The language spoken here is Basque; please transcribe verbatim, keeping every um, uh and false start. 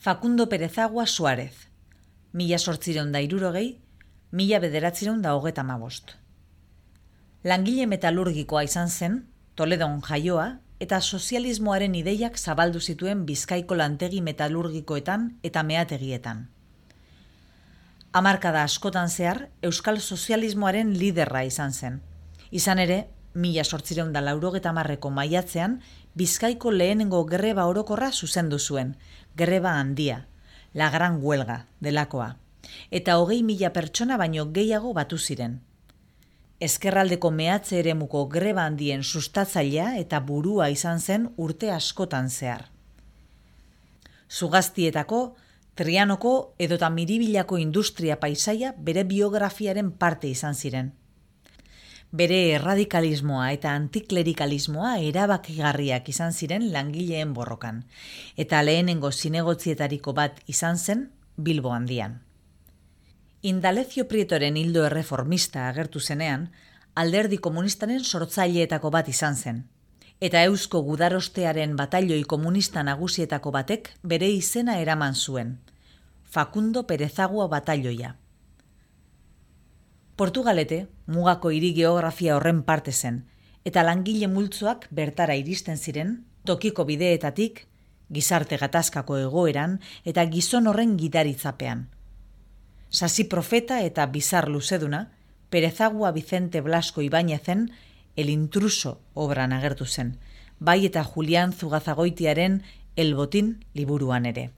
Facundo Perezagua Suárez, mila sortzireun da hirurogei, mila bederatzireun da hogeta hamabost. Langile metalurgikoa izan zen, Toledon jaioa, eta sozialismoaren ideiak zabaldu zituen Bizkaiko lantegi metalurgikoetan eta meategietan. Hamarkada askotan zehar, euskal sozialismoaren liderra izan zen. Izan ere, mila sortzireun da laurogeta hamarreko maiatzean, Bizkaiko lehenengo greba orokorra zuzendu zuen, greba handia, la gran huelga delakoa, eta hogei mila pertsona baino gehiago batu ziren. Ezkerraldeko mehatze eremuko greba handien sustatzailea eta burua izan zen urte askotan zehar. Zugaztietako, Trianoko edota Miribilako industria paisaia bere biografiaren parte izan ziren. Bere erradikalismoa eta antiklerikalismoa erabakigarriak izan ziren langileen borrokan, eta lehenengo zinegotzietariko bat izan zen Bilbo handian. Indalecio Prietoren hildo erreformista agertu zenean, alderdi komunistaren sortzaileetako bat izan zen, eta Eusko Gudarostearen batailoi komunista nagusietako batek bere izena eraman zuen, Facundo Perezagua batailoia. Portugalete, mugako hiri geografia horren parte zen, eta langile multzoak bertara iristen ziren, tokiko bideetatik, gizarte gatazkako egoeran eta gizon horren gidaritzapean. Sasi profeta eta bizar luzeduna, Perezagua Vicente Blasco Ibáñezen El intruso obran agertu zen, bai eta Julián Zugazagoitiaren El botín liburuan ere.